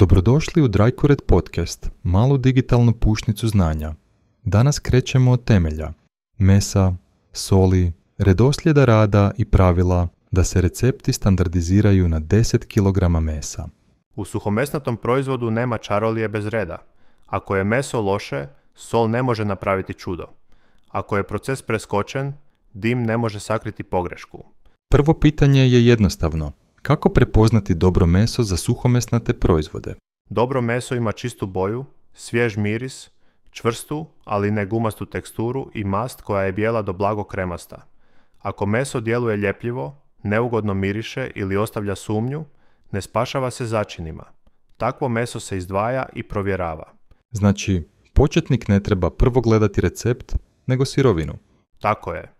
Dobrodošli u Drycured podcast, malu digitalnu pušnicu znanja. Danas krećemo od temelja, mesa, soli, redoslijeda rada i pravila da se recepti standardiziraju na 10 kg mesa. U suhomesnatom proizvodu nema čarolije bez reda. Ako je meso loše, sol ne može napraviti čudo. Ako je proces preskočen, dim ne može sakriti pogrešku. Prvo pitanje je jednostavno. Kako prepoznati dobro meso za suhomesnate proizvode? Dobro meso ima čistu boju, svjež miris, čvrstu, ali ne gumastu teksturu i mast koja je bijela do blago kremasta. Ako meso djeluje ljepljivo, neugodno miriše ili ostavlja sumnju, ne spašava se začinima. Takvo meso se izdvaja i provjerava. Znači, početnik ne treba prvo gledati recept, nego sirovinu. Tako je.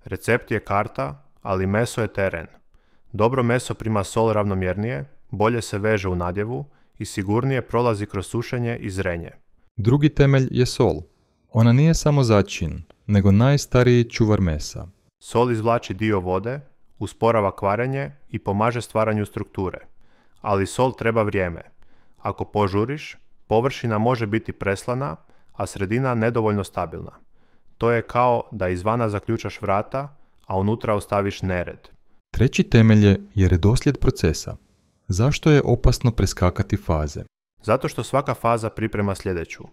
Recept je karta, ali meso je teren. Dobro meso prima sol ravnomjernije, bolje se veže u nadjevu i sigurnije prolazi kroz sušenje i zrenje. Drugi temelj je sol. Ona nije samo začin, nego najstariji čuvar mesa. Sol izvlači dio vode, usporava kvarenje i pomaže stvaranju strukture. Ali sol treba vrijeme. Ako požuriš, površina može biti preslana, a sredina nedovoljno stabilna. To je kao da izvana zaključaš vrata, a unutra ostaviš nered. Treći temelj je redoslijed procesa. Zašto je opasno preskakati faze? Zato što svaka faza priprema sljedeću.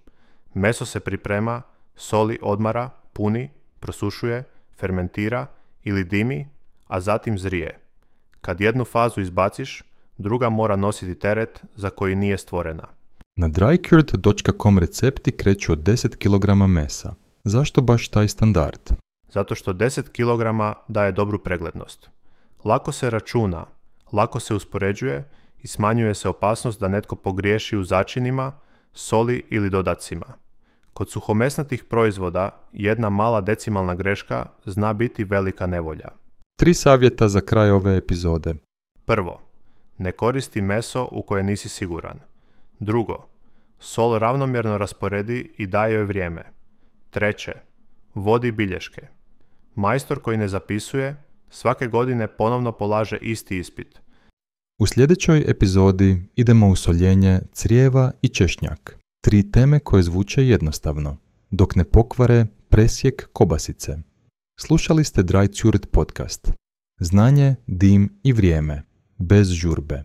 Meso se priprema, soli, odmara, puni, prosušuje, fermentira ili dimi, a zatim zrije. Kad jednu fazu izbaciš, druga mora nositi teret za koji nije stvorena. Na drycured.com recepti kreću od 10 kg mesa. Zašto baš taj standard? Zato što 10 kg daje dobru preglednost. Lako se računa, lako se uspoređuje i smanjuje se opasnost da netko pogriješi u začinima, soli ili dodacima. Kod suhomesnatih proizvoda jedna mala decimalna greška zna biti velika nevolja. 3 savjeta za kraj ove epizode. Prvo, ne koristi meso u koje nisi siguran. Drugo, sol ravnomjerno rasporedi i daj joj vrijeme. Treće, vodi bilješke. Majstor koji ne zapisuje, svake godine ponovno polaže isti ispit. U sljedećoj epizodi idemo u soljenje crijeva i češnjak. 3 teme koje zvuče jednostavno, dok ne pokvare presjek kobasice. Slušali ste Drycured podcast. Znanje, dim i vrijeme. Bez žurbe.